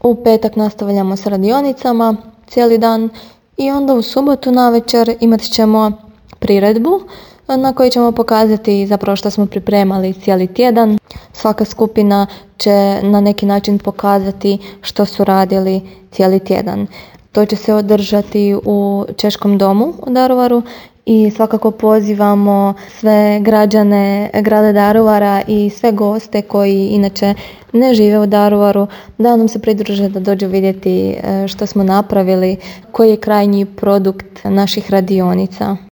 U petak nastavljamo s radionicama cijeli dan i onda u subotu navečer imat ćemo priredbu na kojoj ćemo pokazati zapravo što smo pripremali cijeli tjedan. Svaka skupina će na neki način pokazati što su radili cijeli tjedan. To će se održati u Češkom domu u Daruvaru i svakako pozivamo sve građane grada Daruvara i sve goste koji inače ne žive u Daruvaru da nam se pridruže, da dođu vidjeti što smo napravili, koji je krajnji produkt naših radionica.